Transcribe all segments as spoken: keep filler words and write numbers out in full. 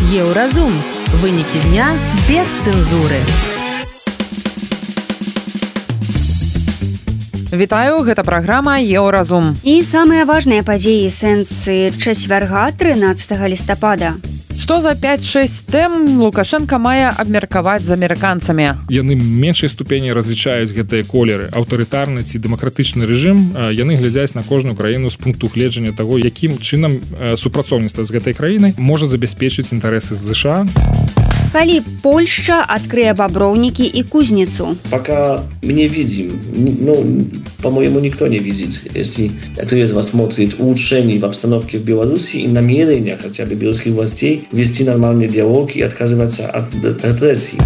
Еўразум. Вынікі дня без цэнзуры. Вітаю, гэта праграма Еўразум. І самыя важныя падзеі сэнсы чацвярга трынаццатага лістапада. Што за пяць-шэсць тэм Лукашенко мае абмеркаваць з амерыканцамі? Яны меншай ступені разлічаюць гэтыя колеры. Аўтарытарны ці дэмакратычны рэжым, яны глядзяць на кожную краіну з пункту гледжання таго, якім чынам супрацоўніцтва з гэтай краінай можа забяспечыць інтарэсы США. Калі Польшча открые бобровники и кузницу? Пока мы не видим, ну, по-моему, никто не видит. Если кто из вас смотрит улучшений в обстановке в Беларуси и намерения хотя бы белорусских властей вести нормальный диалог и отказываться от репрессий.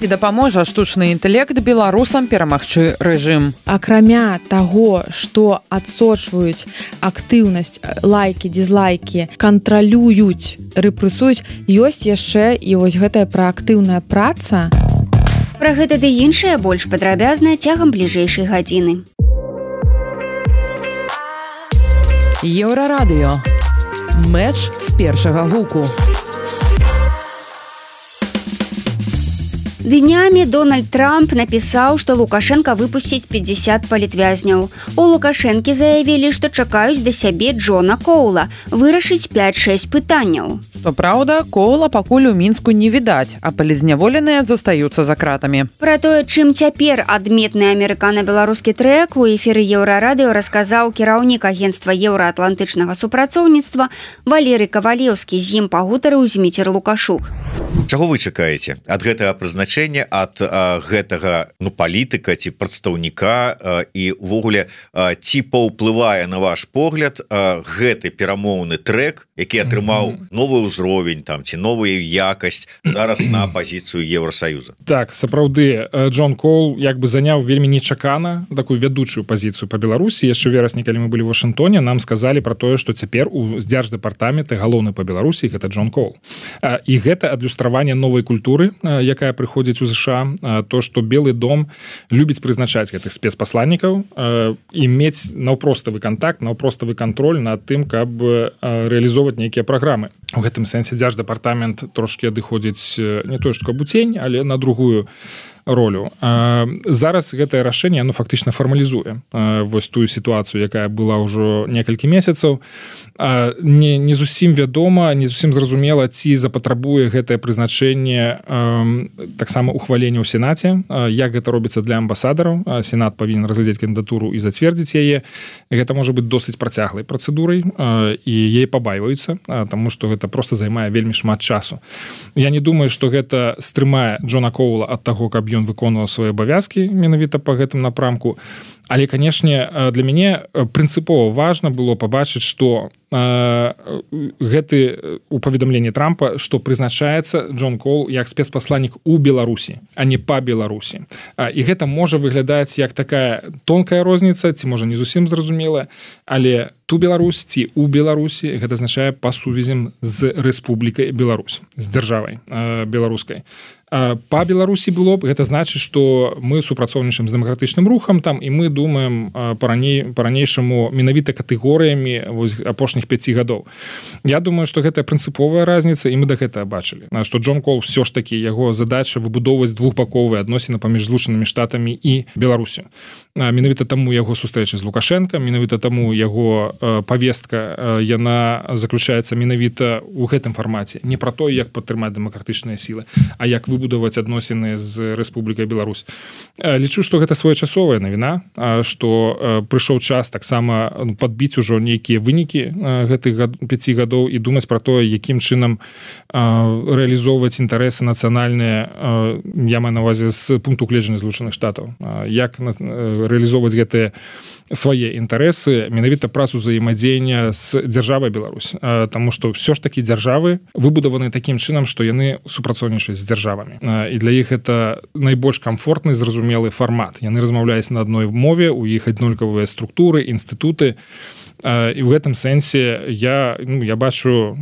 І дапаможа штучны інтэлект беларусам перамагчы рэжым. Акрамя таго, што адсочваюць актыўнасць, лайкі, дызлайкі, кантралююць, рэпрэсуюць, ёсць яшчэ і вось гэтая праактыўная праца. Пра гэта ды іншае больш падрабязна цягам бліжэйшай гадзіны. Еўрарадыё. Мэч з першага гуку. Днямі Дональд Трамп напісаў, што Лукашенко выпусціць пятьдесят палітвязняў. У Лукашэнкі заявілі, што чакаюць да сябе Джона Коула вырашыць пяць-шэсць пытанняў. Што праўда, Коула пакуль у Мінску не відаць, а палізняволеныя застаюцца за кратамі. Пра тое, чым цяпер адметны амерыкана-беларускі трэк у эфіры Еўрарадыё расказаў кіраўнік агенцтва еўраатлантычнага супрацоўніцтва Валерый Кавалеўскі, з ім пагутарыў Зміцер Лукашук. Чаго вы чакаеце ад гэтага прызначэння, ад а, гэтага ну, палітыка ці прадстаўніка а, і ўвогуле а, ці паўплывае на ваш погляд а, гэты перамоўны трэк, які атрымаў новы ўзровень там ці новую якасць зараз на пазіцыю Еўросаюза? Так, сапраўды, Джон Коул як бы заняў вельмі нечакана такую вядучую пазіцыю па Беларусі. Яшчэ верасні, калі мы былі ў Вашынгтоне, нам сказалі пра тое, што цяпер у дзярждэпартаменты галоўны па Беларусі гэта Джон Коул. І гэта адлюстраванне новай культуры, якая прыходзіць у ЗША, то, што Белы дом любіць прызначаць гэтых спецпасланнікаў і мець наўпроставы кантакт, наўпроставы кантроль над тым, каб рэалізоўваць нейкія праграмы. У гэтым сэнсе дзярждэпартамент трошкі адыходзіць не тое, што каб у цень, але на другую ролю. Зараз гэтае рашэнне оно фактычна фармалізуе вось тую сітуацыю, якая была ўжо некалькі месяцаў. Не, не зусім вядома, не зусім зразумела, ці запатрабуе гэтае прызначэнне таксама ухвалення ў Сенаце, як гэта робіцца для амбасадараў. Сенат павінен разглядзець кандыдатуру і зацвердзіць яе. Гэта можа быць досыць працяглай працэдурай, і яе пабайваюцца, таму што гэта проста займае вельмі шмат часу. Я не думаю, што гэта стрымае Джона Коула ад таго, каб ён выконваў свае абавязкі менавіта па гэтым напрамку. Але, канешне, для мяне прынцыпова важна было пабачыць, што гэты у паведамленні Трампа, што прызначаецца Джон Коул як спецпасланнік у Беларусі, а не па Беларусі. І гэта можа выглядаць як такая тонкая розніца, ці можа не зусім зразумелая, але ту Беларусь ці у Беларусі гэта азначае па сувязям з Рэспублікай Беларусь, з дзяржавай беларускай. Па Беларусі было б, гэта значыць, што мы супрацоўнічаем з дэмакратычным рухам там, і мы думаем па-ранейшаму менавіта катэгорыямі апошніх пяці гадоў. Я думаю, што гэта прынцыповая разніца, і мы да гэтага бачылі, што Джон Коул ўсё ж такі, яго задача выбудоўваць двухбаковыя адносіны паміж Злучанымі Штатамі і Беларусю. Менавіта таму яго сустрэча з Лукашенко, менавіта таму яго павестка, яна заключаецца менавіта ў гэтым фармаце. Не пра тое, як падтрымаць дэмакратычныя сілы, а як вы будаваць адносіны з Рэспублікай Беларусь. Лічу, што гэта своечасовая навіна, што прыйшоў час таксама падбіць ужо нейкія вынікі гэтых пяці гадоў і думаць пра тое, якім чынам рэалізоўваць інтарэсы нацыянальныя, я маю на ўвазе з пункту гледжання Злучаных Штатаў. Як рэалізоўваць гэтыя свае інтарэсы менавіта праз узаемадзеяння з дзяржавай Беларусь. Таму што ўсё ж такі дзяржавы выбудаваны такім чынам, што яны супрацоўнічаюць з дзяржавамі. І для іх это найбольш камфортны, зразумелы фармат. Яны размаўляюць на адной мове, у іх аднолькавыя структуры, інстытуты. і ў гэтым сэнсе я ну, я бачу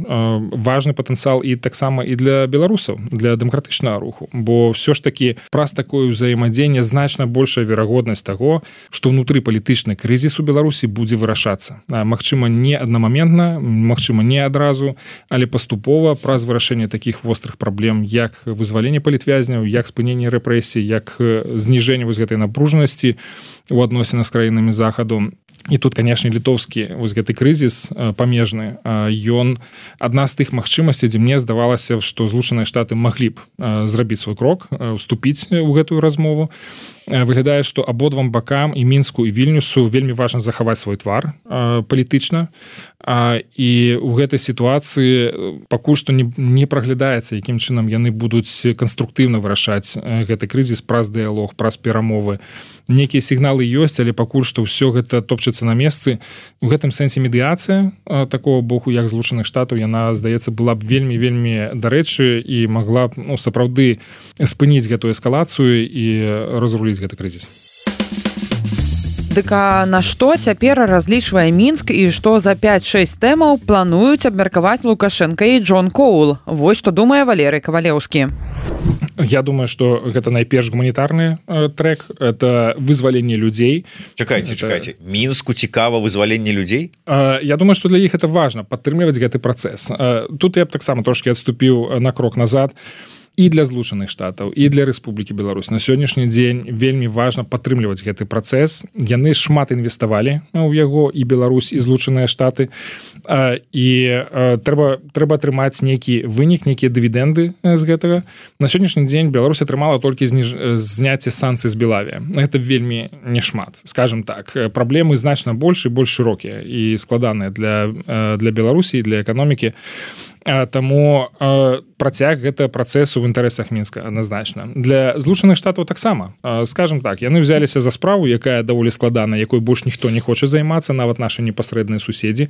важны патэнцыял і таксама і для беларусаў, для дэмакратычнага руху, бо ўсё ж такі праз такое ўзаемадзеянне значна большая верагоднасць таго, што ўнутры палітычны крызіс у Беларусі будзе вырашацца. Магчыма, не аднамаментна, магчыма, не адразу, але паступова праз вырашэнне такіх вострых праблем, як вызваленне палітвязняў, як спыненне рэпрэсій, як зніжэнне вось гэтай напружанасці у адносінах з краінамі захаду. І тут, канешне, літоўскі вось гэты крызіс памежны, ён адна з тых магчымасцей, дзе мне здавалася, што Злучаныя Штаты маглі б зрабіць свой крок, уступіць у гэтую размову. Выглядае, што абодвам бакам і Мінску і Вільнюсу вельмі важна захаваць свой твар палітычна, і ў гэтай сітуацыі пакуль што не, не праглядаецца, якім чынам яны будуць канструктыўна вырашаць гэты крызіс праз дыялог, праз перамовы. Некія сігналы ёсць, але пакуль што ўсё гэта топчацца на месцы. У гэтым сэнсе медыяцыя такого боку, як Злучаных Штатаў, яна, здаецца, была б вельмі-вельмі дарэчы і магла б ну, сапраўды спыніць гэтую эскалацыю і разруліць гэты крызіс. Дык а на што цяпер разлічвае Мінск і што за пяць-шэсць тэмаў плануюць абмеркаваць Лукашенка і Джон Коул? Вось што думае Валерый Кавалеўскі. Я думаю, што гэта найперш гуманітарны э, трэк, это вызваленне людзей. Чакайце, это... чакайце. Мінску цікава вызваленне людзей? Э, я думаю, што для іх это важна падтрымліваць гэты працэс. Э, тут я б таксама трошкі адступіў на крок назад. І для Злучаных Штатаў, і для Рэспублікі Беларусь. На сённяшні дзень вельмі важна падтрымліваць гэты працэс. Яны шмат інвеставалі ў яго, і Беларусь, і Злучаныя Штаты. І трэба, трэба атрымаць нейкі вынік, нейкія дывідэнды з гэтага. На сённяшні дзень Беларусь атрымала толькі зніж... зняцце санкцый з Белавія. Гэта вельмі не шмат. Скажем так, праблемы значна больш і больш шырокія і складаныя для, для Беларусі і для эканомікі. Таму э, працяг гэта працэсу ў інтарэсах Мінска адназначна. Для Злучаных Штатаў таксама, э, скажем так, яны ўзяліся за справу, якая даволі складаная, якой больш ніхто не хоча займацца, нават нашы непасрэдныя суседзі.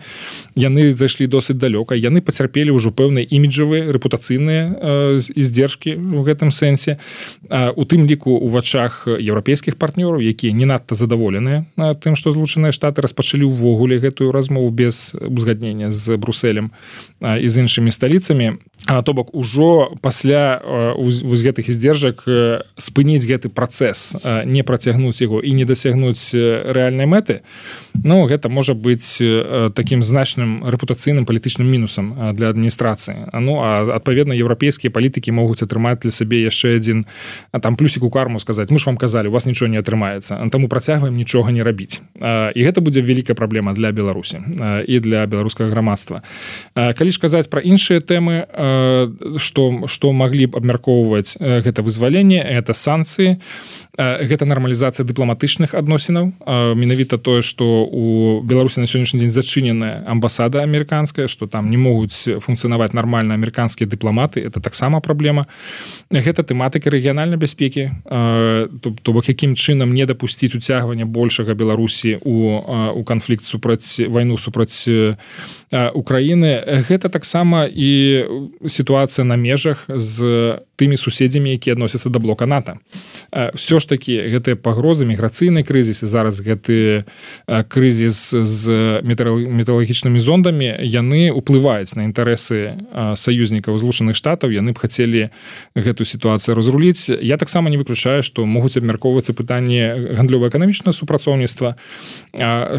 Яны зайшлі досыць далёка, яны пацярпелі ўжо пэўныя іміджавыя, рэпутацыйныя э, здзержкі ў гэтым сэнсе. Э, у тым ліку ў вачах еўрапейскіх партнёраў, якія не надта задаволеныя э, тым, што Злучаныя Штаты распачалі ўвогуле гэтую размову без узгаднення з Брусэлем э, і з іншымі сталіцамі, а то бок ужо пасля вось гэтых здзержак спыніць гэты працэс, не працягнуць яго і не дасягнуць рэальнай мэты, ну гэта можа быць такім значным рэпутацыйным палітычным мінусам для адміністрацыі. Ну а адпаведна еўрапейскія палітыкі могуць атрымаць для сабе яшчэ адзін там плюсік у карму, сказаць: мы ж вам казалі, у вас нічого не атрымаецца, таму працягваем нічога не рабіць. І гэта будзе вялікая праблема для Беларусі і для беларускага грамадства. Калі ж казаць пра іншыя тэмы, што, што маглі б абмяркоўваць гэта вызваленне, гэта санкцыі, гэта нармалізацыя дыпламатычных адносінаў. Менавіта тое, што у Беларусі на сённяшні дзень зачыненая амбасада амерыканская, што там не могуць функцыянаваць нармальна амерыканскія дыпламаты, это таксама праблема. Гэта тэматыка рэгіянальнай бяспекі, то бок якім чынам не дапусціць уцягвання большага Беларусі у, у канфлікт супраць вайну супраць Украіны. Гэта таксама і сітуацыя на межах з тымі суседзямі, якія адносяцца да блока НАТО. Всё ж такі гэтыя пагрозы, міграцыйны крызіс і зараз гэты крызіс з метэаралагічнымі зондамі, яны ўплываюць на інтарэсы саюзнікаў Злучаных Штатаў, яны б хацелі гэтую сітуацыю разруліць. Я таксама не выключаю, што могуць абмяркоўвацца пытанні гандлёва-эканамічнага супрацоўніцтва.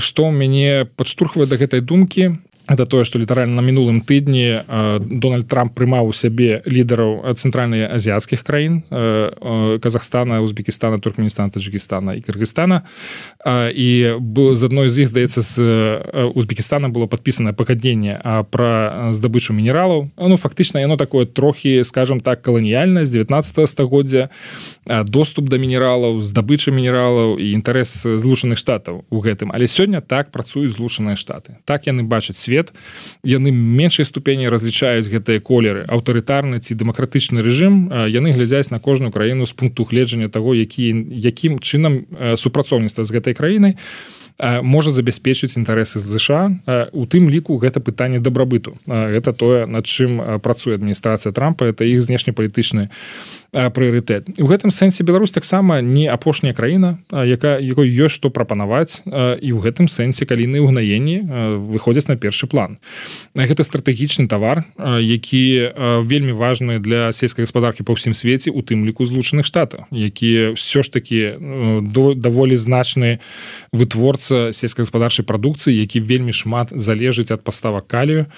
Што мяне падштурхвае да гэтай думкі, это тое, што літаральна на мінулым тыдні Дональд Трамп прымаў у сябе лідараў цэнтральна-азіяцкіх краін: Казахстана, Узбекістана, Туркменістана, Таджикістана і Кыргызстана. І з адной з іх, здаецца, з Узбекістана было падпісана пагадненне пра здабычу мінералаў. Ну, фактычна, яно такое трохі, скажем так, каланіяльнае, з дзевятнаццатага стагоддзя. Доступ да мінералаў, здабыча мінералаў і інтарэс Злучаных Штатаў у гэтым. Але сёння так працуюць Злучаныя Штаты. Так яны бачаць свет. Яны меншай ступені разлічаюць гэтыя колеры: аўтарытарны ці дэмакратычны рэжым. Яны глядзяць на кожную краіну з пункту гледжання таго, які, якім чынам супрацоўніцтва з гэтай краінай можа забяспечыць інтарэсы ЗША. У тым ліку гэта пытанне дабрабыту. Гэта тое, над чым працуе адміністрацыя Трампа, это іх знешнепалітычны прыярытэт. І ў гэтым сэнсе Беларусь таксама не апошняя краіна, якая якой ёсць што прапанаваць, і ў гэтым сэнсе калійныя ўгнаенні выходзяць на першы план. Гэта стратэгічны тавар, які вельмі важны для сельскай гаспадаркі па ўсім свеце, у тым ліку Злучаных Штатаў, якія ўсё ж такі даволі значны вытворца сельскагаспадарчай прадукцыі, які вельмі шмат залежыць ад паставак калію.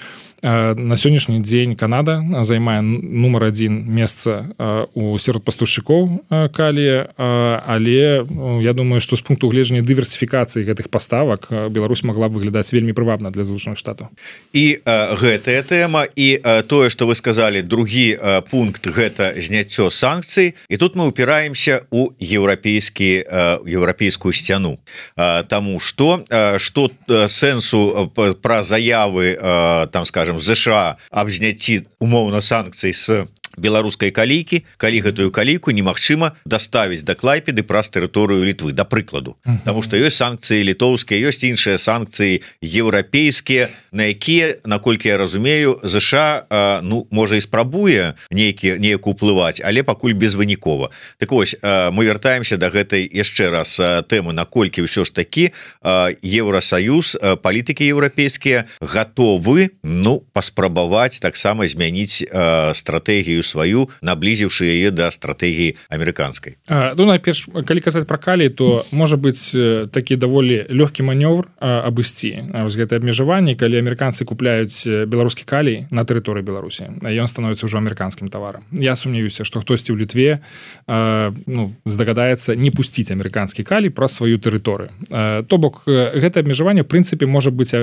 На сённяшні дзень Канада займае нумар адзін месца у сярод пастаўшчыкоў калія, але я думаю, што з пункту гледжання дыверсіфікацыі гэтых паставак Беларусь магла б выглядаць вельмі прывабна для Злучаных Штатаў. І а, гэтая тэма і а, тое, што вы сказалі, другі а, пункт гэта зняццё санкцый, і тут мы упіраемся у еўрапейскі еўрапейскую сцяну, а, таму што а, што сэнсу пра заявы а, там скажем ЗША аб зняцці умоўна санкцый з беларускай калійкі, калі гэтую калійку немагчыма даставіць да Клайпеды праз тэрыторыю Літвы, да прыкладу. Uh-huh. Таму што ёсць санкцыі літоўскія, ёсць іншыя санкцыі еўрапейскія, на якія, наколькі я разумею, ЗША а, ну, можа і спрабуе нейкі неяк уплываць, але пакуль безвынікова. Так вось, а, мы вяртаемся да гэтай яшчэ раз а, тэмы, наколькі ўсё ж такі а, Еўрасаюз, а, палітыкі еўрапейскія гатовы, ну, паспрабаваць таксама змяніць а, стратэгію сваю, наблізіўшы яе да стратэгіі амерыканскай. А, ну, найперш, калі казаць пра калій, то можа быць такі даволі лёгкі манёвр абысці вось гэтае абмежаванне, калі амерыканцы купляюць беларускі калій на тэрыторыі Беларусі, ён становіцца ўжо амерыканскім таварам. Я сумняваюся, што хтосьці ў Літве а, ну, здагадаецца не пусціць амерыканскі калій праз сваю тэрыторыю. А, то бок, гэта абмежаванне, в прынцыпе, можа быць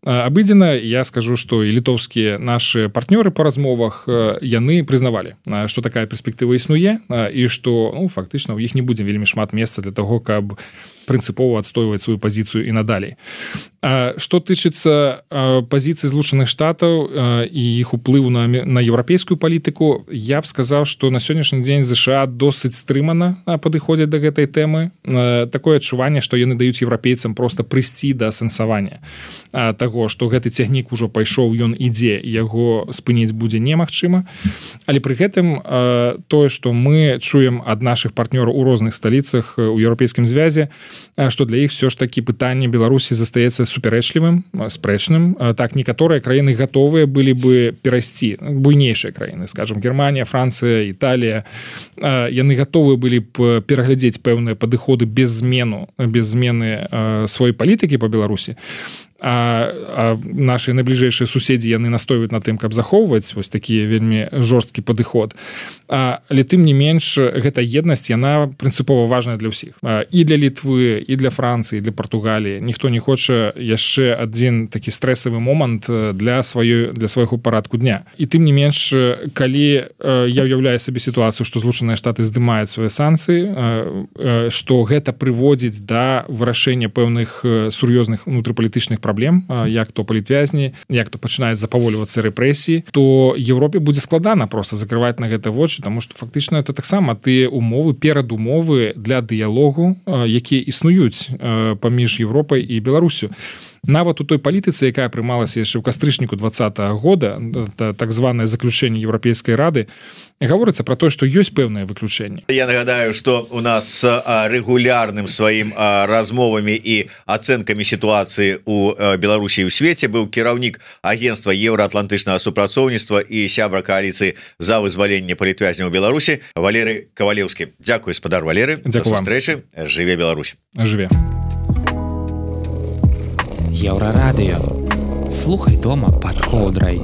абыдзена. Я скажу, што і літоўскія нашы партнёры па размовах, яны прызнавалі, што такая перспектыва існуе і што, ну, фактычна у іх не будзе вельмі шмат месца для таго, каб прынцыпова адстойваць сваю пазіцыю і надалей. Што тычыцца пазіцыі Злучаных Штатаў і іх уплыву на, на еўрапейскую палітыку, я б сказаў, што на сённяшні дзень ЗША досыць стрымана падыходзяць да гэтай тэмы. Такое адчуванне, што яны даюць еўрапейцам проста прыйсці да асэнсавання таго, што гэты цягнік ужо пайшоў, ён ідзе, яго спыніць будзе немагчыма. Але пры гэтым тое, што мы чуем ад нашых партнёраў у розных сталіцах у еўрапейскім звязе, што для іх все ж такі пытанне Беларусі застаецца супярэчлівым, спрэчным. Так, некаторыя краіны гатовыя былі бы перайсці, буйнейшыя краіны, скажем, Германія, Францыя, Італія, яны гатовыя былі б пераглядзець пэўныя падыходы без змену, без змены сваёй палітыкі па Беларусі. А, а наши найбліжэйшыя суседзі, яны настойваюць на тым, каб захоўваць вось такі вельмі жорсткі падыход. А, але тым не менш, гэта еднасць, яна прынцыпова важная для ўсіх. А, і для Літвы, і для Францыі, і для Партугаліі. Ніхто не хоча яшчэ адзін такі стрэсавы момант для сваёй, для свайго парадку дня. І тым не менш, калі я ўяўляю сабе сітуацыю, што Злучаныя Штаты здымаюць свае санкцыі, што гэта прыводзіць да вырашэння пэўных сур'ёзных унутрыпалітычных праблем, як то палітвязні, як то пачынаюць запаволівацца рэпрэсіі, то Еўропе будзе складана проста закрываць на гэта вочы, таму што фактычна это таксама тыя умовы, перадумовы для дыялогу, якія існуюць паміж Еўропай і Беларусю. Нават у той палітыцы, якая прымалася яшчэ ў кастрычніку двадцатага года, так званае заключэнне Еўрапейскай рады, гаворыцца пра тое, што ёсць пэўныя выключэнні. Я нагадаю, што у нас з рэгулярным сваім размовамі і ацэнкамі сітуацыі ў Беларусі і ў свеце быў кіраўнік агенцтва еўраатлантычнага супрацоўніцтва і сябра кааліцыі за вызваленне палітвязняў у Беларусі Валерый Кавалеўскі. Дзякуй, спадар Валеры. Да сустрэчы. Жыве Беларусь. Жыве. Еўрарадыё. Слухай дома пад коўдрай.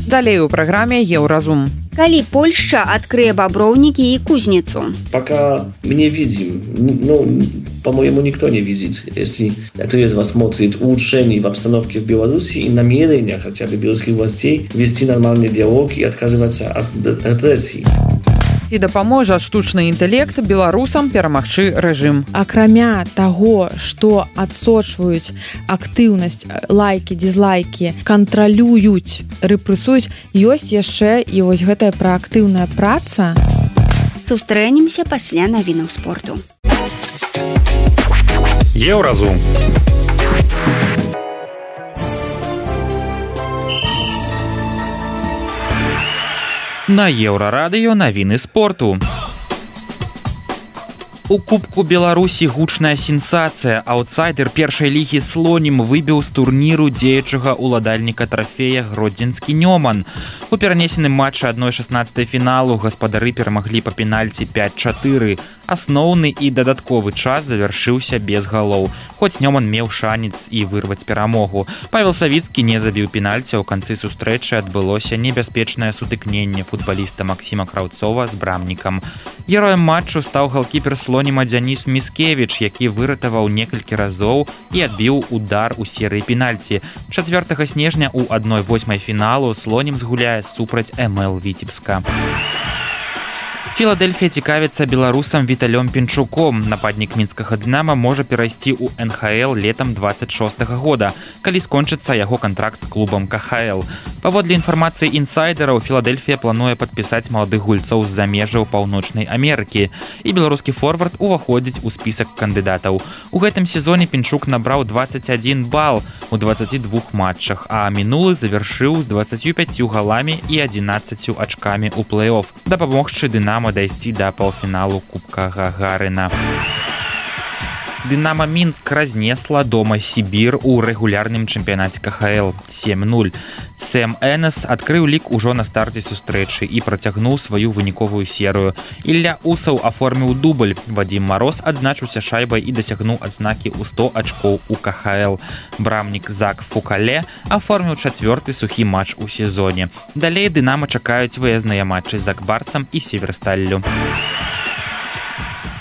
Далей у праграме Еўразум. Калі Польшча открые бобровники и кузницу? Пока мы не видим, ну, по-моему, никто не видит, если кто-то рассмотрит улучшений в обстановке в Беларуси и намерения хотя бы белорусских властей вести нормальный диалог и отказываться от репрессий. Ці дапаможа штучны інтэлект беларусам перамагчы рэжым. Акрамя таго, што адсочваюць актыўнасць, лайкі, дызлайкі, кантралююць, рэпрэсуюць, ёсць яшчэ і вось гэтая праактыўная праца. Сустрэнемся пасля навінаў спорту. Еўразум. На Еўрарадыё навіны спорту. У Кубку Беларусі гучная сенсацыя. Аўтсайдер першай лігі Слонім выбіў з турніру дзеючага ўладальніка трафея гродзенскі Нёман. У перанесеным матчы адной шаснаццатай фіналу гаспадары перамаглі па пенальці пяць чатыры. Асноўны і дадатковы час завяршыўся без галоў. Хоць Нёман меў шанец і вырваць перамогу. Павел Савіцкі не забіў пенальці, ў канцы сустрэчы адбылося небяспечнае сутыкненне футбаліста Максіма Краўцова з брамнікам. Героем матчу стаў галкіпер Слоніма Дзяніс Міскевіч, які выратаваў некалькі разоў і адбіў удар у серыі пенальці. чацвёртага снежня ў адной восьмай фіналу Слонім згуляе супраць эм эл Віцебска. Філадельфія цікавіцца беларусам Віталём Пінчуком. Нападнік мінскага Дынама можа перайсці ў эн ха эл летам дваццаць шостага года, калі скончыцца яго кантракт з клубам ка ха эл. Паводле інфармацыі інсайдераў, Філадельфія плануе падпісаць маладых гульцоў з-за межаў Паўночнай Амерыкі, і беларускі форвард уваходзіць у спісак кандыдатаў. У гэтым сезоне Пінчук набраў дваццаць адзін бал у дваццаці двух матчах, а мінулы завяршыў з дваццаццю пяццю галамі і адзінаццаццю ачкамі ў плэй-оф, дапамогчы Дынама дайсці да паўфіналу Кубка Гагарына. Дынама Мінск разнесла дома Сібір у рэгулярным чэмпіянаце ка ха эл сем нуль. Сэм Энес адкрыў лік ужо на старце сустрэчы і працягнуў сваю выніковую серыю. Ілля Усаў аформіў дубль. Вадзім Мароз адзначыўся шайбай і дасягнуў адзнакі ў сто ачкоў у ка ха эл. Брамнік Зак Фукале аформіў чацвёрты сухі матч у сезоне. Далей Дынама чакаюць выязныя матчы з Акбарсам і Северсталлю.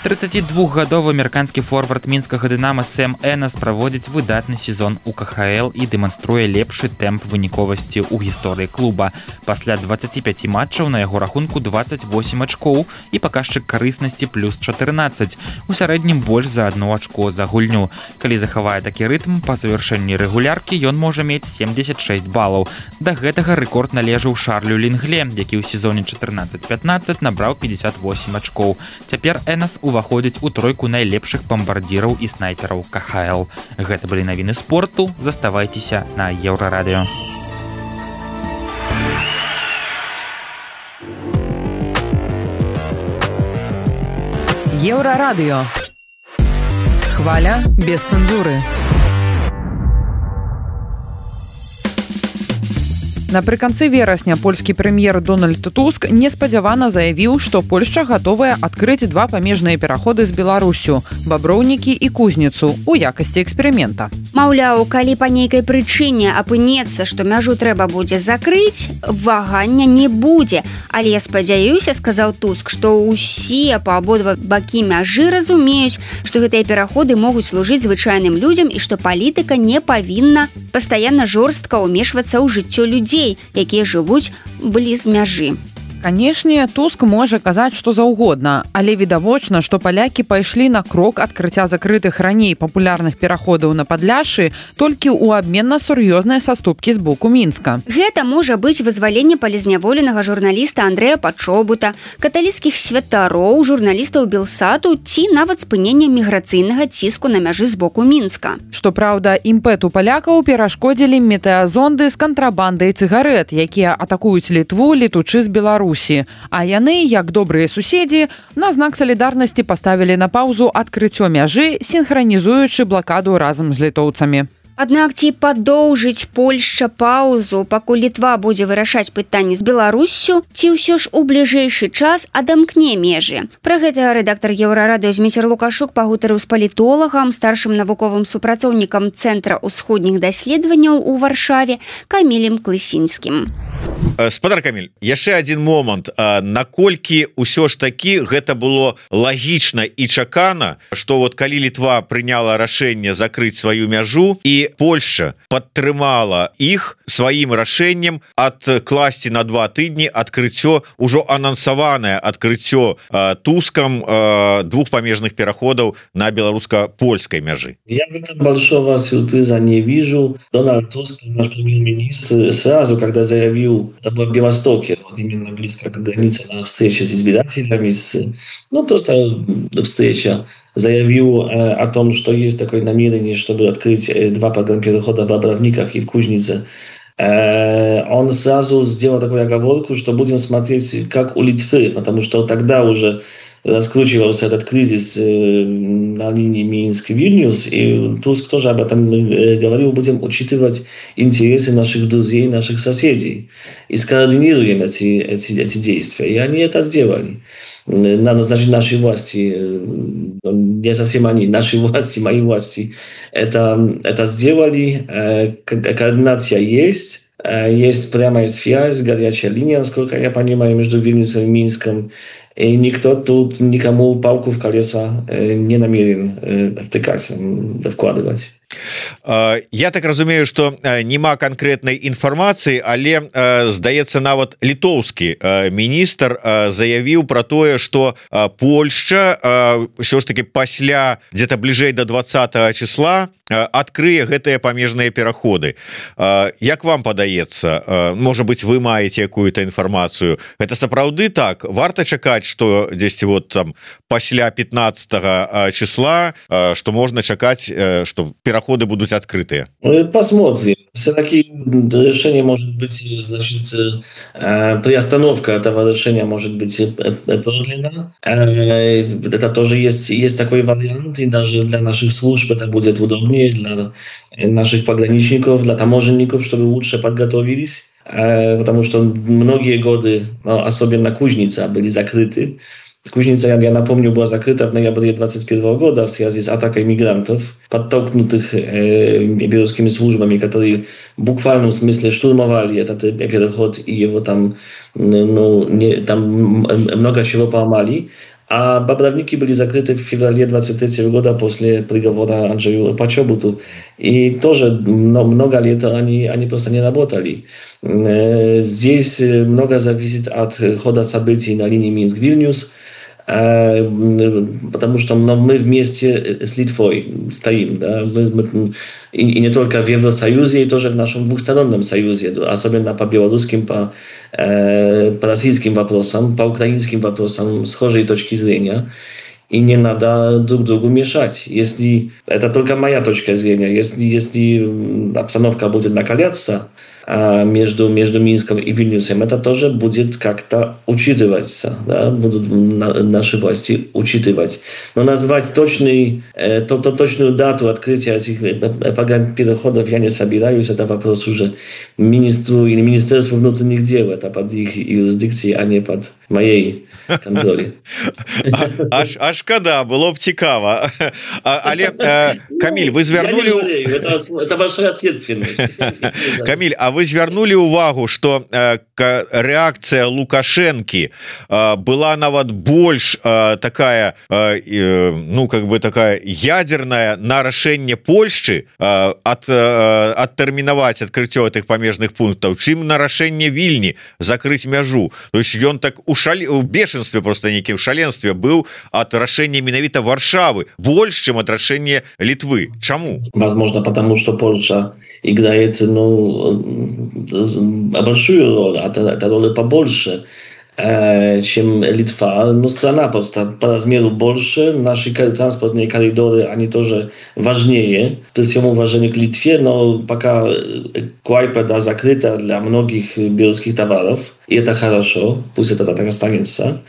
трыццацідвухгадовы амерыканскі форвард мінскага Дынама Сэм Энес праводзіць выдатны сезон у ка ха эл і дэманструе лепшы тэмп выніковасці ў гісторыі клуба. Пасля дваццаці пяці матчаў на яго рахунку дваццаць восем ачкоў і паказчык карыснасці плюс чатырнаццаць. У сярэднім больш за адно ачко за гульню. Калі захавае такі рытм, па завяршэнні рэгуляркі ён можа мець семдзесят шэсць балаў. Да гэтага рэкорд належаў Шарлю Лінгле, які ў сезоне чатырнаццаць пятнаццаць набраў пятьдесят восемь ачкоў. Цяпер Энес у уваходзіць у тройку найлепшых бамбардзіраў і снайпераў ка ха эл. Гэта былі навіны спорту. Заставайцеся на Еўрарадыё. Еўрарадыё. Хваля без цэнзуры. Напрыканцы верасня польскі прэм'ер Дональд Туск неспадзявана заявіў, што Польшча гатовая адкрыць два памежныя пераходы з Беларусю – Баброўнікі і Кузніцу у якасці эксперымента. Маўляў, калі па нейкай прычыне апынецца, што мяжу трэба будзе закрыць, вагання не будзе. Але я спадзяюся, сказаў Туск, што ўсе па абодва бакі мяжы разумеюць, што гэтыя пераходы могуць служыць звычайным людзям і што палітыка не павінна пастаянна жорстка ўмешвацца ў жыццё людзей, якія жывуць бліз мяжы. Канешне, Туск можа казаць што заўгодна, але відавочна, што палякі пайшлі на крок адкрыцця закрытых раней папулярных пераходаў на Падляшшы толькі ў абмен на сур'ёзныя саступкі з боку Мінска. Гэта можа быць вызваленне палізняволенага журналіста Андрэя Пачобута, каталіцкіх святароў, журналістаў Белсату ці нават спынення міграцыйнага ціску на мяжы з боку Мінска. Што праўда, імпэту палякаў перашкодзілі метэазонды з кантрабандай цыгарэт, якія атакуюць Літву, летучы з Беларусі. А яны, як добрыя суседзі, на знак салідарнасці паставілі на паўзу адкрыццё мяжы, сінхранізуючы блакаду разам з літоўцамі. Аднак ці падоўжыць Польшча паўзу, пакуль Літва будзе вырашаць пытанні з Беларуссю, ці ўсё ж у бліжэйшы час адамкне межы? Пра гэта рэдактар Еўрарадыё Зміцер Лукашук пагутарыў з палітолагам, старшым навуковым супрацоўнікам Цэнтра ўсходніх даследаванняў у Варшаве Камілем Клысінскім. Спадар Каміль, яшчэ адзін момант. Наколькі ўсё ж такі гэта было лагічна і чакана, што вот калі Літва прыняла рашэнне закрыць сваю мяжу і Польша падтрымала іх сваім рашэннем адкласці на два тыдні адкрыццё, ужо анансаванае адкрыццё Тускам двух памежных пераходаў на беларуска-польскай мяжы. Я в этом большого сюрприза не вижу. Дональд Туск, наш премьер-министр, сразу, когда заявил, это было в Белостоке, вот именно близко к границе, на встрече с избирателями, с, ну просто встреча, заявил э, о том, что есть такое намерение, чтобы открыть э, два программ перехода в Бобровниках и в Кузнице. он сразу сделал такую оговорку, что будем смотреть, как у Литвы, потому что тогда уже раскручивался этот кризис на линии Минск-Вильнюс, и Туск тоже об этом говорил, будем учитывать интересы наших друзей, наших соседей, и скоординируем эти, эти, эти действия. И они это сделали. Надо, значит, наши власти, не совсем они, наши власти, мои власти, это, это сделали, координация есть, есть прямая связь, горячая линия, насколько я понимаю, между Вильнюсом и Минском, и никто тут никому палку в колеса не намерен втыкать, вкладывать. Я так разумею, что нема конкретной информации, але здаецца нават літоўскі міністр заявіў про тое, что Польша ўсё ж таки пасля где-то бліжэй до двадцатого числа открые гэтыя памежныя пераходы. Як вам падаецца, можа быть, вы маеце какую-то информацию, это сапраўды так? Варта чакаць, что дзесьці вот там пасля пятнадцатого числа, что можно чакаць, что пераходы ходы будут открытые? Посмотрим. Все-таки решение может быть, значит, приостановка этого решения может быть продлена. Это тоже есть, есть такой вариант, и даже для наших служб это будет удобнее, для наших пограничников, для таможенников, чтобы лучше подготовились. Потому что многие годы, особенно Кузница, были закрыты. Кузница, я напомню, была закрыта в ноябре двадцать первого года в связи с атакой мигрантов, подтолкнутых э, белорусскими службами, которые в буквальном смысле штурмовали этот переход, и его там, ну, не, там много чего поломали. А Бобровники были закрыты в феврале двадцать третьего года после приговора Анджею Почобуту. И тоже много лет они, они просто не работали. Здесь много зависит от хода событий на линии Минск-Вильнюс, потому что мы вместе с Литвой стоим, да? мы, мы, и, и не только в Евросоюзе, и тоже в нашем двухстороннем союзе, особенно по белорусским, по, э, по российским вопросам, по украинским вопросам схожей точки зрения. И не надо друг другу мешать. Если это только моя точка зрения, если, если обстановка будет накаляться между, между Минском и Вильнюсом, это тоже будет как-то учитываться, да? Будут наши власти учитывать. Но назвать точный, то, то, точную дату открытия этих переходов я не собираюсь. Это вопрос уже министру или Министерству внутренних дел. Это под их юрисдикцией, а не под моей контролі. Аж, аж шкада, было б цікава. Але, Камиль, вы звярнули... Это, это большая ответственность. Камиль, а вы звярнули увагу, что реакция Лукашенки была нават больш такая, ну, как бы такая ядерная на рашэнне Польшчы от, адтэрмінаваць адкрыццё этих памежных пунктаў, чым на рашэнне Вільні закрыть мяжу. То есть ён так у шалі... у бешенстве, просто некім шаленстве был от рашэння менавіта Варшавы больше, чем от рашэння Литвы. Чаму? Возможно, потому что Польша играет, ну, большую роль, а эта роль побольше, чем Литва. Но страна просто по размеру больше, наши транспортные коридоры, они тоже важнее, при всем уважении к Литве, но пока Клайпеда закрыта для многих белорусских товаров, и это хорошо, пусть это так останется.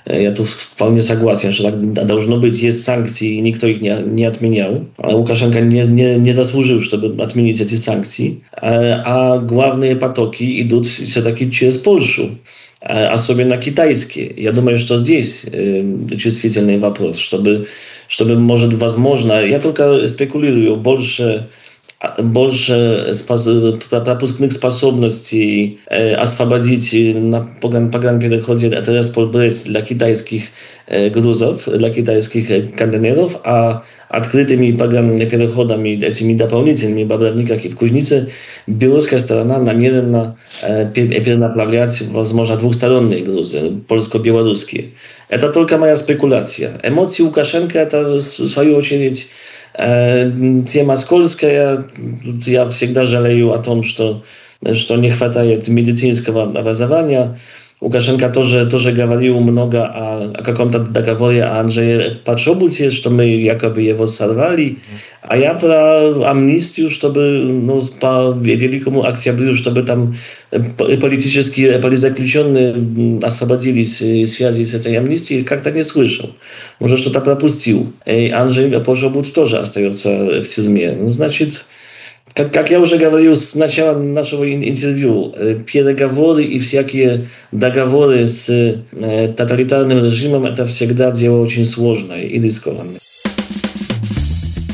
Я тут вполне согласен, что так должно быть. Есть санкции, и никто их не, не отменял. А Лукашенко не, не, не заслужил, чтобы отменить эти санкции. А, а главные потоки идут все-таки через Польшу. Особенно китайские. Я думаю, что здесь э, чувствительный вопрос, чтобы, чтобы, может, возможно, я только спекулирую, больше, больше спос- пропускных способностей э, освободить на погранпереходе Тересполь-Брест для китайских э, грузов, для китайских э, контейнеров, а открытыми переходами, этими дополнительными в Бобровниках и в Кузнице, белорусская сторона намерена э, перенаправлять, возможно, двухсторонние грузы, польско-белорусские. Это только моя спекуляция. Эмоции Лукашенко — это, в свою очередь, э, тема скользкая. Я всегда жалею о том, что, что не хватает медицинского образования Лукашенко тоже, тоже говорил много о, о каком-то договоре о Анджее Почобуте, что мы якобы его сорвали. А я про амнистию, чтобы ну, по Великому Октябрю, чтобы там политические политзаключенные освободились в связи с этой амнистией, как-то не слышал. Может, что-то пропустил. И Анджей Почобут тоже остается в тюрьме. Ну, значит... Как, как я уже говорил с начала нашего интервью, переговоры и всякие договоры с э, тоталитарным режимом – это всегда дело очень сложное и рискованное.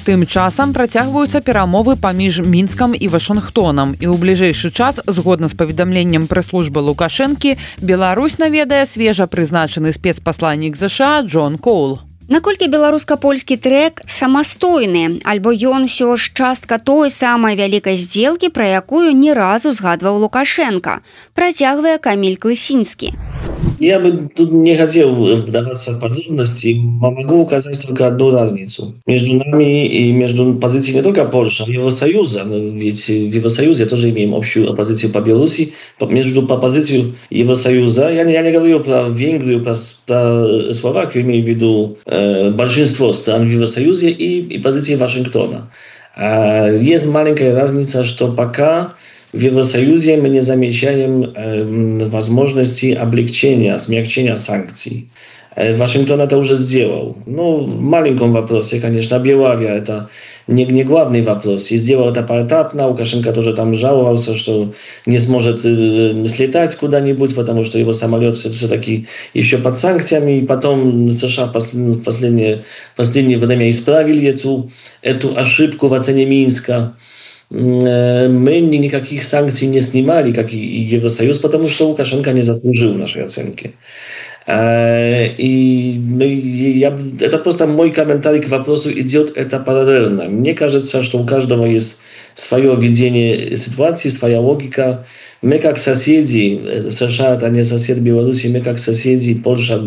Тым часам працягваюцца перамовы паміж Мінскам і Вашынгтонам. І ў бліжэйшы час, згодна з паведамленнем прэс-службы Лукашэнкі, Беларусь наведае свежа прызначаны спецпасланнік ЗША Джон Коул. Наколькі беларуска-польскі трэк самастойны, альбо ён усё ж частка той самай вялікай здзелкі, пра якую ні разу згадваў Лукашенко, працягвае Каміль Клысінскі. Я бы тут не хотел вдаваться в подробности, могу указать только одну разницу между нами и между позицией не только Польши, а Евросоюза. Ведь в Евросоюзе тоже имеем общую оппозицию по Беларуси. Между по позицию Евросоюза, я не, я не говорю про Венгрию, про, про Словакию, имею в виду э, большинство стран в Евросоюзе и, и позиции Вашингтона. А есть маленькая разница, что пока в Евросоюзе мы не замечаем э, возможности облегчения, смягчения санкций. Э, Вашингтон это уже сделал. Ну, в маленьком вопросе, конечно, Белавия это не, не главный вопрос. И сделал это поэтапно. Лукашенко тоже там жаловался, что не сможет э, слетать куда-нибудь, потому что его самолет все-таки еще под санкциями. И потом США в послед, последнее, последнее время исправили эту, эту ошибку в оцене Минска. Мы никаких санкций не снимали, как и Евросоюз, потому что Лукашенко не заслужил нашей оценки. И я, это просто мой комментарий к вопросу, идет это параллельно. Мне кажется, что у каждого есть свое видение ситуации, своя логика. Мы как соседи, США это не сосед Беларуси, мы как соседи, Польша,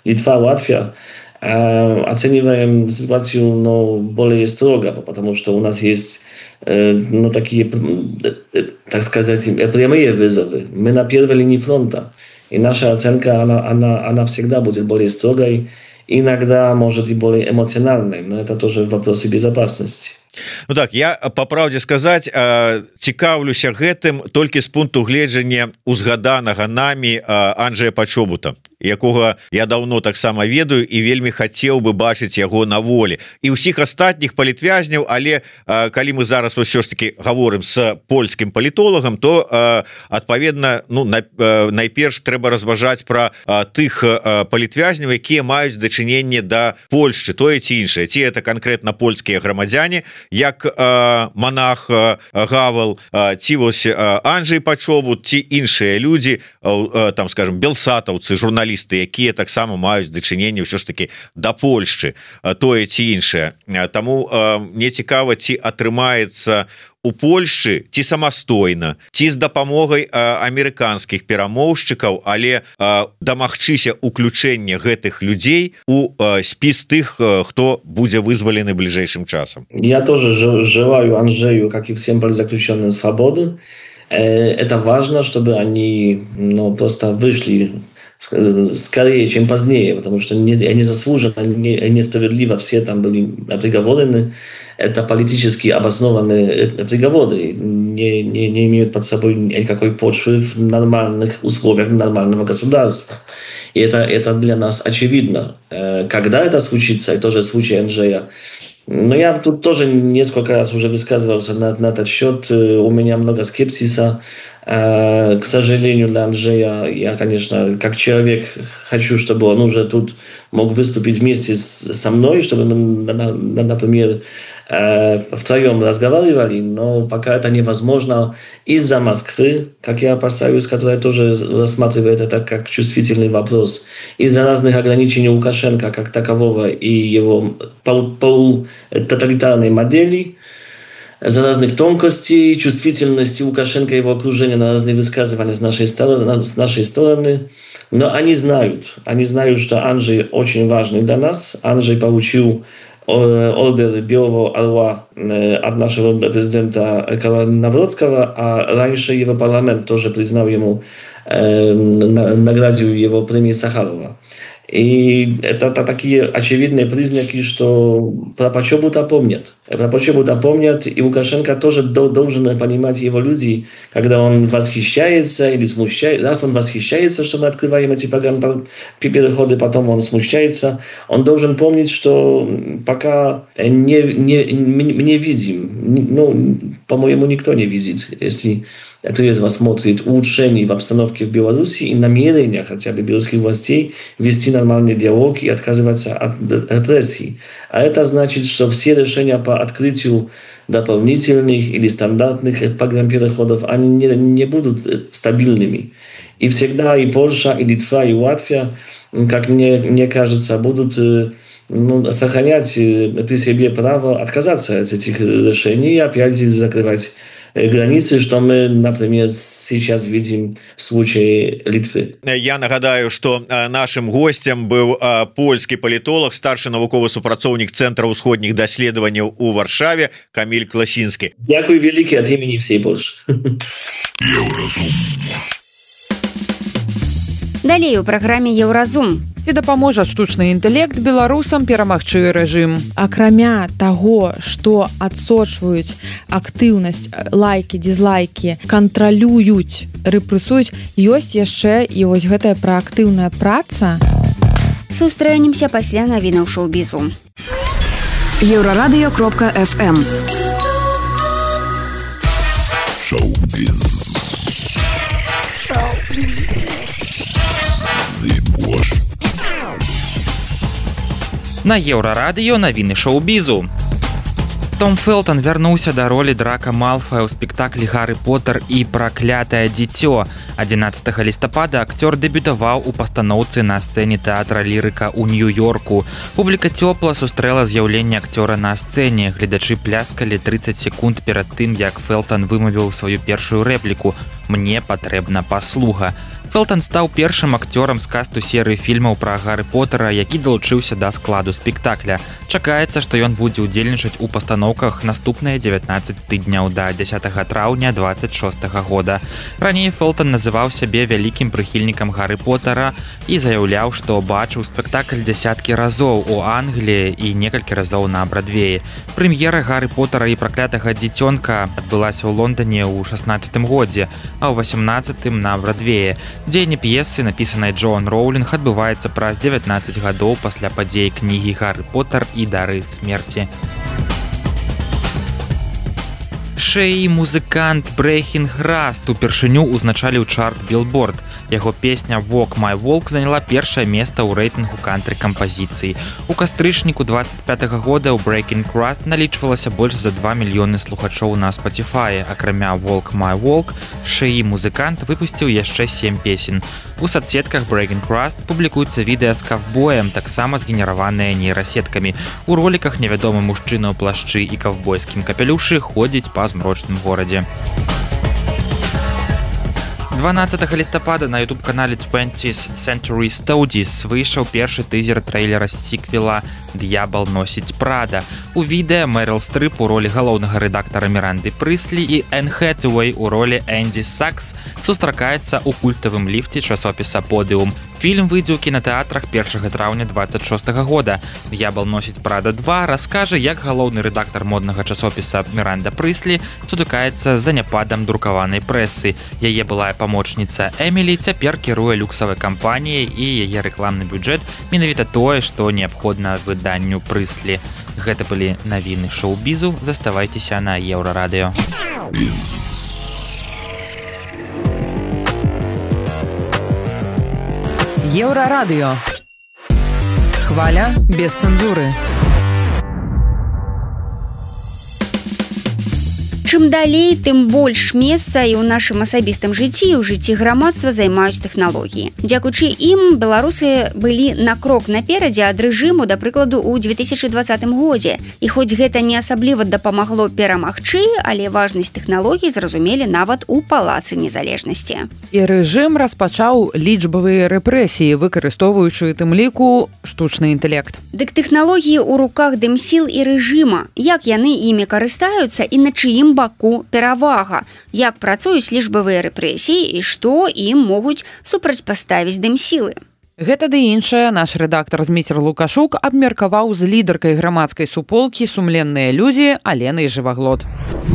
Литва, Латвия, оцениваем ситуацию но более строго, потому что у нас есть ну, такие, так сказать, прямые вызовы. Мы на первой линии фронта. И наша оценка, она, она, она всегда будет более строгой, иногда, может, и более эмоциональной. Но это тоже вопросы безопасности. Ну так, я по правде сказаць цікаўлюся гэтым толькі з пункту гледжання узгаданага намі Анджея Почобута, якога я давно таксама ведаю і вельмі хацеў бы бачыць яго на волі і ўсіх астатніх палітвязняў. Але калі мы зараз ўсё ж таки гаворым с польскім палітолагам, то адпаведна ну найперш трэба разважаць пра тых палітвязняў, якія маюць дачыненне да Польшчы, тое ці іншае, ці это канкрэтна польскія грамадзяне, як э, монах э, Гавел, э, ці вось э, Анджей Почобут, ці іншыя людзі, э, там скажем белсатаўцы, журналісты, якія таксама маюць дачыненне ўсё ж таки да Польшчы, э, тое ці іншае. Таму э, мне цікава, ці атрымаецца у Польшчы ці самастойна, ці з дапамогай амерыканскіх перамоўшчыкаў, але дамагчыся уключэння гэтых людзей у спіс тых, хто будзе вызвалены бліжэйшым часам. Я тоже желаю Анджею, как и всем политзаключенным, свободы. Это важно, чтобы они ну, просто вышли скорее, чем позднее, потому что они заслуженно, несправедливо все там были приговорены. Это политически обоснованные приговоры, не, не, не имеют под собой никакой почвы в нормальных условиях нормального государства. И это, это для нас очевидно. Когда это случится, и тоже случай Анджея, но я тут тоже несколько раз уже высказывался на, на этот счет. У меня много скепсиса. К сожалению, для Анджея, я, конечно, как человек хочу, чтобы он уже тут мог выступить вместе со мной, чтобы, например, втроем разговаривали, но пока это невозможно из-за Москвы, как я опасаюсь, которая тоже рассматривает это как чувствительный вопрос, из-за разных ограничений Лукашенко как такового и его полутоталитарной модели, за разных тонкостей, чувствительности Лукашенко и его окружения на разные высказывания с нашей стороны, с нашей стороны. Но они знают, они знают, что Анджей очень важный для нас. Анджей получил ордер Белого Орла от нашего президента Карла Навроцкого, а раньше Европарламент тоже признал ему, наградил его премией Сахарова. И это, это такие очевидные признаки, что про почему-то помнят. Про почему-то помнят, и Лукашенко тоже должен понимать его люди, когда он восхищается или смущается. Раз он восхищается, что мы открываем эти программы, переходы, потом он смущается. Он должен помнить, что пока не, не, не видим, ну, по-моему, никто не видит, если трезво смотрит улучшений в обстановке в Беларуси и намерения хотя бы белорусских властей вести нормальный диалог и отказываться от репрессий. А это значит, что все решения по открытию дополнительных или стандартных программ переходов, они не, не будут стабильными. И всегда и Польша, и Литва, и Латвия, как мне, мне кажется, будут ну, сохранять при себе право отказаться от этих решений и опять закрывать границы, что мы, например, сейчас видим в случае Литвы. Я нагадаю, что нашим гостем был польский политолог, старший навуковый супрацоўнік Центра ўсходніх даследаванняў у Варшаве Камиль Класінскі. Дякую великий от имени всей Польши. Далей у праграме Еўразум. Ці дапаможа штучны інтэлект беларусам перамагчы рэжым. Акрамя таго, што адсочваюць актыўнасць, лайкі, дизлайкі, кантралююць, рэпрэсуюць, ёсць яшчэ і вось гэтая праактыўная праца. Сустрэнемся пасля навінаў шоу-бізу. Еўрарадыё кропка эф эм. Шоу-біз. Шоу-біз. На Еўрарадыё навіны шоу-бізу. Том Фелтон вярнуўся да ролі Драка Малфая ў спектаклі «Гарры Поттер і праклятае дзіцё». адзінаццатага лістапада акцёр дэбютаваў у пастаноўцы на сцэне тэатра Лірыка ў Нью-Йорку. Публіка цёпла сустрэла з'яўленне акцёра на сцэне. Гледачы пляскалі трыццаць секунд перад тым, як Фелтон вымавіў сваю першую рэпліку «Мне патрэбна паслуга». Фелтон стаў першым акцёрам з касту серыі фільмаў пра Гарры Поттера, які далучыўся да складу спектакля. Чакаецца, што ён будзе ўдзельнічаць у пастаноўках наступныя дзевятнаццаць тыдняў да дзясятага траўня дваццаць шостага года. Раней Фелтон называў сябе вялікім прыхільнікам Гарры Поттера і заяўляў, што бачыў спектакль дзясяткі разоў у Англіі і некалькі разоў на Брадвеі. Прэм'ера Гарры Поттера і праклятага дзіцёнка адбылася ў Лондоне ў шаснаццатым годзе, а ў васямнаццатым на Брадвеі. Дзеянне п'есы, напісанай Джоан Роулінг, адбываецца праз дзевятнаццаць гадоў пасля падзей кнігі «Гарры Поттер і дары смерці». Шэй музыкант Брэйхін Граст упершыню узначаліў чарт Билборд. Яго песня «Walk My Walk» заняла першае месца ў рэйтынгу кантры-кампазіцый. У кастрычніку дваццаць пятага года ў Breaking Crust налічвалася больш за два мільёны слухачоў на Spotify. Акрамя «Walk My Walk», Шэй музыкант выпусціў яшчэ сем песен. У соцсетках Breaking Crust публікуецца відэа з каўбоем, таксама згенераваныя нейрасеткамі. У роліках невядомы мужчына ў плашчы і каўбойскім капелюшы ходзіць па змрочным горадзе. дванаццатага лістапада на ютуб-канале twentieth Century Studies выйшаў першы тызер трэйлера сіквела «Д'ябал носіць Прада». У відэа Мэрил Стрып у ролі галоўнага рэдактара Міранды Прыслі і Энн Хэтэуэй у ролі Энді Сакс сустракаецца ў культавым ліфце часопіса «Подыум». Фільм выйдзе ў кінатэатрах першага траўня дваццаць шостага года. «Д'ябал носіць Прада два» раскажа, як галоўны рэдактар моднага часопіса Міранда Прыслі сутыкаецца з заняпадам друкаванай прэсы. Яе былая памочніца Эмілі цяпер кіруе люксавай кампаніяй і яе рэкламны бюджэт менавіта тое, што неабходна выданню Прыслі. Гэта былі навіны шоу-бізу. Заставайцеся на Еўрарадыё. Еўрарадыё. Хваля без цэнзуры. Чым далей, тым больш месца і ў нашым асабістым жыцці і ў жыцці грамадства займаюць тэхналогіі. Дзякуючы ім беларусы былі на крок наперадзе ад рэжыму, да прыкладу, у две тысячы двадцатым годзе. І хоць гэта не асабліва дапамагло перамагчы, але важнасць тэхналогій зразумелі нават у палацы незалежнасці. І рэжым распачаў лічбавыя рэпрэсіі, выкарыстоўваючы тым ліку штучны інтэлект. Дык тэхналогіі ў руках дымсіл і рэжыма. Як яны імі карыстаюцца і на чыім баку перавага, як працуюць лічбавыя рэпрэсіі і што ім могуць супрацьпаставіць дымсілы. Гэта ды іншае наш рэдактар Зміцер Лукашук абмеркаваў з лідаркай грамадскай суполкі «Сумленныя людзі» Аленай Жываглот.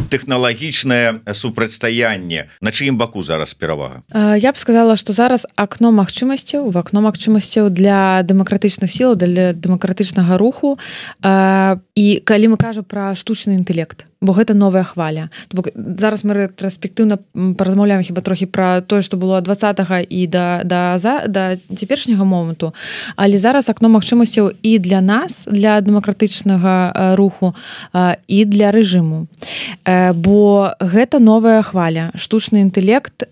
Тэхналагічнае супрацьстаянне. На чыім баку зараз перавага? Я б сказала, што зараз акно магчымасцяў, в акно магчымасцяў для дэмакратычных сілаў, для дэмакратычнага руху. І калі мы кажам пра штучны інтэлект, бо гэта новая хваля. Зараз мы рэтраспектыўна паразмаўляем хіба трохі пра тое, што было ад двадцатага і да, да, да цяперашняга моманту, але зараз акно магчымасцяў і для нас, для дэмакратычнага руху, і для рэжыму. Бо гэта новая хваля. Штучны інтэлект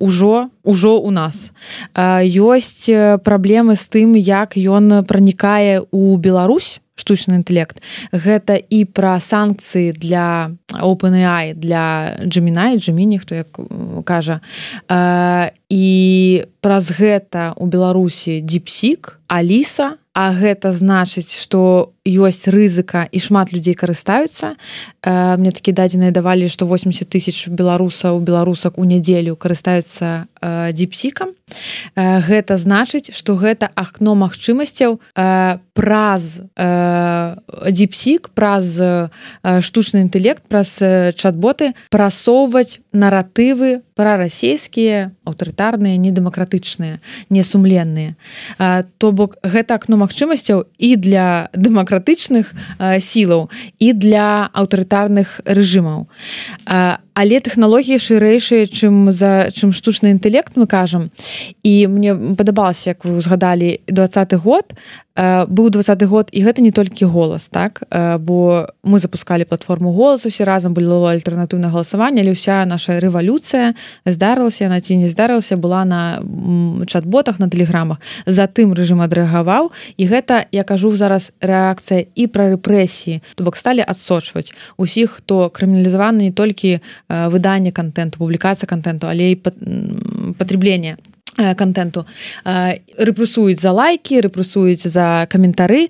ужо ужо у нас. Ёсць праблемы з тым, як ён пранікае ў Беларусь, штучны інтэлект. Гэта і пра санкцыі для OpenAI, для Gemini, Gemini, хто як кажа. І праз гэта ў Беларусі DeepSeek, Alisa, а гэта значыць, што ёсць рызыка і шмат людзей карыстаюцца. Мне такі дадзеныя давалі, што восемьдесят тысяч беларусаў, беларусак у нядзелю карыстаюцца DeepSeek'ам. Гэта значыць, што гэта акно магчымасцяў праз DeepSeek, праз штучны інтэлект, праз чат-боты прасоўваць наратывы прарасійскія, аўтарытарныя, недэмакратычныя, несумленныя. То бок гэта акно магчымасцяў і для дэмакратычных сілаў, і для аўтарытарных рэжымаў. Але тэхналогіі шырэйшыя, чым за чым штучны інтэлект, мы кажам. І мне падабалася, як вы узгадалі, двадцаты год, быў двадцаты год, і гэта не толькі голас, так? Бо мы запускалі платформу «Голас», усе разам было альтэрнатыўнае галасаванне, але ўся наша рэвалюцыя здарылася, яна ці не здарылася, была на чат-ботах, на тэлеграмах. Затым рэжым адрэагаваў, і гэта, я кажу зараз, рэакцыя і пра рэпрэсіі, то бок сталі адсочваць усіх, хто крыміналізаваны не толькі выданне контенту, публікацыя контенту, але і патрэбленне контенту. Рэпрэсуюць за лайки, рэпрэсуюць за каментары,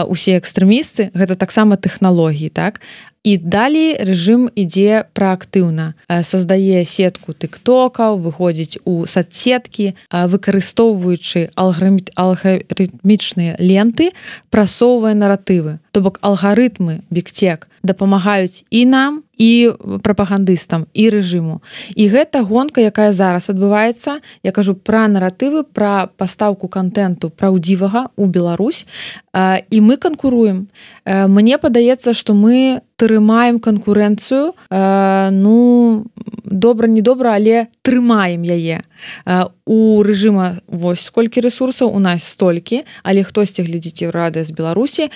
усе экстрэмісты, гэта таксама тэхналогіі, так? І далей рэжым ідзе праактыўна. Саздае сетку тыктокаў, выходзіць у соцсеткі, выкарыстоўваючы алгарытмічныя ленты, прасоўвае наратывы. То бок алгарытмы бігтек дапамагаюць і нам, і прапагандыстам, і рэжыму. І гэта гонка, якая зараз адбываецца, я кажу пра наратывы, пра пастаўку контенту праўдзівага ў Беларусь, і мы канкуруем. Мне падаецца, што мы трымаем канкурэнцыю, ну, добра-недобра, але трымаем яе. У рэжыма вось сколькі рэсурсаў, у нас столькі, але хтосьці глядзіць Еўрарадыё з Беларусі.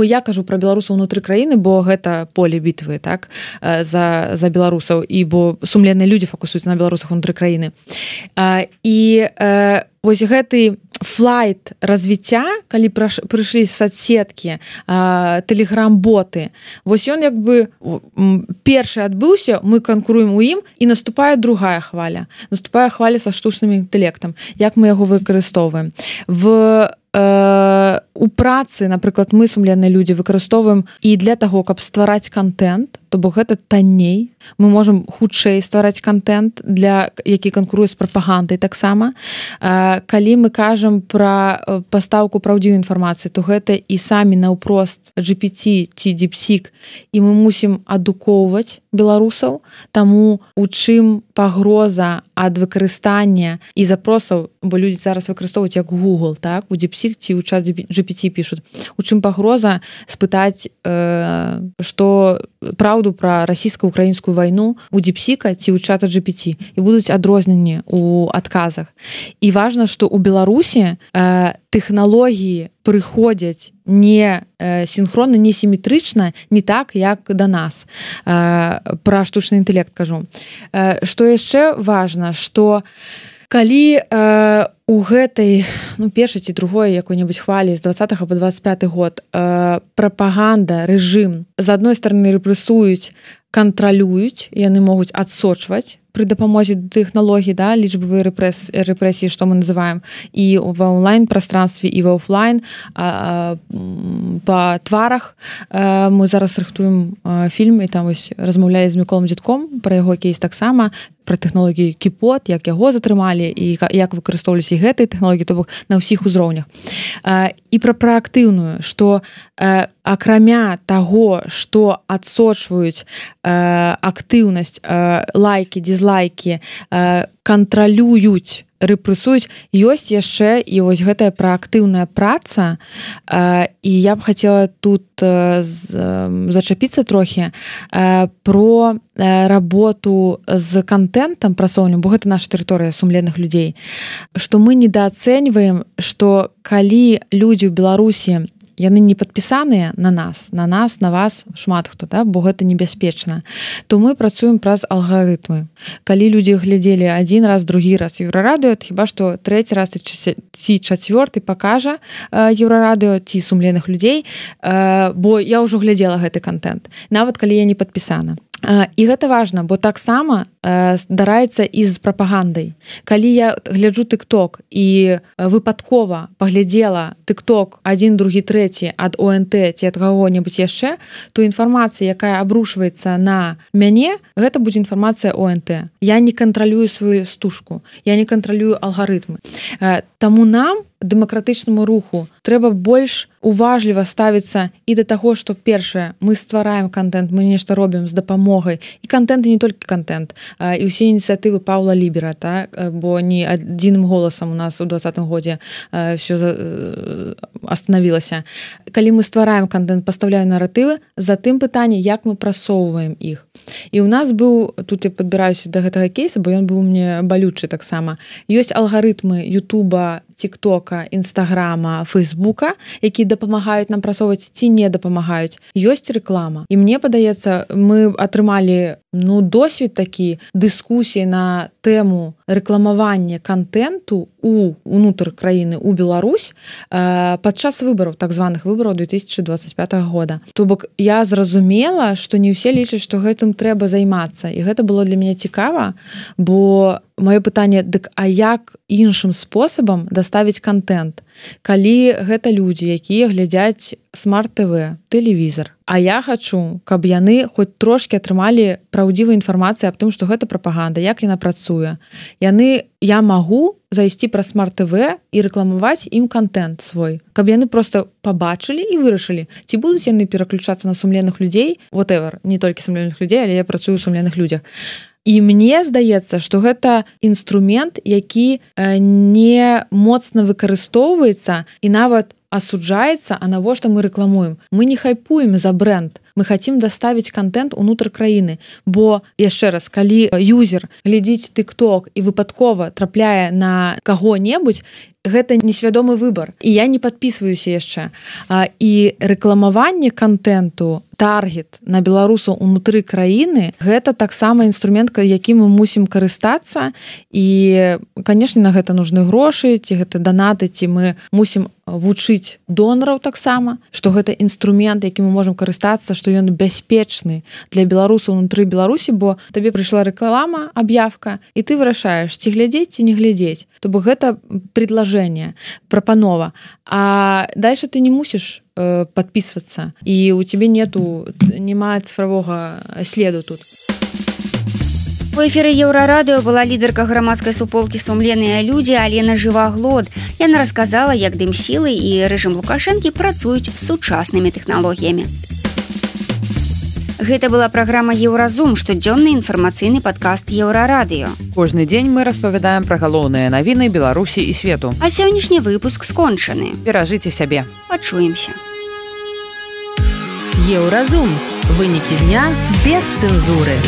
Я кажу пра беларусаў унутры краіны, бо гэта поле бітвы, так, за, за беларусаў, і бо сумленныя людзі фокусуюцца на беларусах унутры краіны. І вось гэты флайт развіцця, калі прыйшлі соцсеткі, тэлеграм-боты, вось ён як бы першы адбыўся, мы канкуруем у ім, і наступае другая хваля. Наступае хваля са штучным інтэлектам. Як мы яго выкарыстоўваем? В у працы, напрыклад, мы, сумленныя людзі, выкарыстоўваем і для таго, каб ствараць контент, то бок гэта танней. Мы можам хутчэй ствараць контент, для які канкуруе з прапагандай таксама. Калі мы кажам пра пастаўку праўдзівай інфармацыі, то гэта і самі наўпрост джи пі ти ці DeepSeek, і мы мусім адукоўваць беларусаў, таму у чым пагроза ад выкарыстання і запросаў, бо людзі зараз выкарыстоўваюць як Google, так, у DeepSeek ці ў чат джи пі ти пішуць. У чым пагроза спытаць, э, што праўду пра расійска-украінскую вайну у DeepSeek'а ці ў чата джи пі ти, і будуць адрозненні ў адказах. І важна, што ў Беларусі э, тэхналогіі прыходзяць не синхронна, не сіметрычна, не так, як да нас. Пра штучны інтэлект кажу. Што яшчэ важна, што калі э, у гэтай ну, першай ці другой якой-небудзь хвалі з двадцатага па двадцать пяты год э, прапаганда, рэжым з адной стороны рэпрэсуюць, кантралююць, яны могуць адсочваць пры дапамозе тэхналогій, да, лічбавыя рэпрэс, рэпрэсіі, што мы называем, і ва онлайн-прастранстве, і ва офлайн, а, а, па тварах. А, мы зараз рыхтуем а, фільм, і там вось размаўляе з Міколам Дзядком пра яго кейс таксама, пра тэхналогію Кіпот, як яго затрымалі, і як выкарыстоўваліся гэтыя тэхналогіі, то бок на ўсіх узроўнях. А, і пра праактыўную, што а, акрамя таго, што адсочваюць а, актыўнасць, а, лайкі, дизлайки, кантралююць, рэпрэсуюць, ёсць яшчэ і вось гэтая праактыўная праца, і я б хацела тут зачапіцца трохі про работу з контентам прасоўным, бо гэта наша тэрыторыя сумленных людзей, што мы недаацэньваем, што калі людзі ў Беларусі яны не падпісаныя на нас, на нас, на вас, шмат хто, да? Бо гэта небяспечна, то мы працуем праз алгарытмы. Калі людзі глядзелі адзін раз, другі раз Еўрарадыё, хіба што трэці раз ці чацвёрты пакажа Еўрарадыё ці сумленных людзей, бо я ўжо глядзела гэты контент, нават калі я не падпісана. І гэта важна, бо таксама здараецца і з прапагандай. Калі я гляджу тык-ток і выпадкова паглядзела тык-ток адзін, другі, трэці ад о эн тэ ці ад каго-небудзь яшчэ, то інфармацыя, якая абрушваецца на мяне, гэта будзе інфармацыя о эн тэ. Я не кантралюю сваю стужку, я не кантралюю алгарытмы. Таму нам, дэмакратычнаму руху, трэба больш уважліва ставіцца і да таго, што першае, мы ствараем контент, мы нешта робім з дапамогай, і контент, і не толькі контент, і ўсе ініцыятывы Паўла Лібера, так? Бо не адзіным голасам у нас у двадцатым годзе все остановілася. Калі мы ствараем контент, пастаўляем наратывы, затым пытанне, як мы прасоўваем іх. І ў нас быў, тут я падбіраюся да гэтага кейса, бо ён быў мне балючы таксама. Ёсць алгарытмы Ютуба, тик-тока, інстаграма, фейсбука, якія дапамагаюць нам прасоўваць ці не дапамагаюць. Ёсць рэклама. І мне падаецца, мы атрымалі ну, досвед такі, дыскусіі на тэму рэкламавання контенту у унутр краіны, у Беларусь э, падчас выбараў, так званых выбараў две тысячи двадцать пятого года. То бок я зразумела, што не ўсе лічаць, што гэтым трэба займацца. І гэта было для мяне цікава, бо маё пытанне, дык а як іншым спосабам даставіць контент? Калі гэта людзі, якія глядзяць смарт-ТВ, тэлевізор, а я хачу, каб яны хоць трошкі атрымалі праўдзівую інфармацыю аб тым, што гэта прапаганда, як яна працуе. Яны, я магу зайсці праз смарт-ТВ і рэкламаваць ім контент свой, каб яны проста пабачылі і вырашылі, ці будуць яны пераключацца на сумленных людзей, whatever, не толькі сумленных людзей, але я працую ў сумленных людзях. І мне здаецца, што гэта інструмент, які не моцна выкарыстоўваецца і нават асуджаецца, а навошта мы рэкламуем. Мы не хайпуем за бренд, мы хацім даставіць контент унутр краіны, бо, яшчэ раз, калі юзер глядзіць тык-ток і выпадкова трапляе на каго-небудзь, гэта несвядомы выбар. І я не падпісваюся яшчэ. І рэкламаванне контенту, таргет на беларусаў унутры краіны, гэта таксама інструмент, якім мы мусім карыстацца. І, канешне, на гэта нужны грошы, ці гэта данаты, ці мы мусім вучыць донараў таксама, што гэта інструмент, якім мы можам карыстацца, што ён бяспечны для беларусаў унутры Беларусі, бо табе прыйшла рэклама, аб'явка, і ты вырашаеш, ці глядзець, ці не глядзець. То бок гэта предложение, прапанова. А дальше ты не мусіш э, подписываться, и у тебя нету, нема цифрового следу тут. У эфіры Еўрарадыё была лідарка грамадскай суполкі «Сумленныя людзі» Алена Жываглот. Яна расказала, як дымсілы і рэжым Лукашэнкі працуюць з сучаснымі тэхналогіямі. Гэта была праграма «Еўразум», штодзённы інфармацыйны падкаст Еўрарадыё. Кожны дзень мы распавядаем пра галоўныя навіны Беларусі і свету. А сённяшні выпуск скончаны. Беражыце сябе. Пачуемся. Еўразум. Вынікі дня без цэнзуры.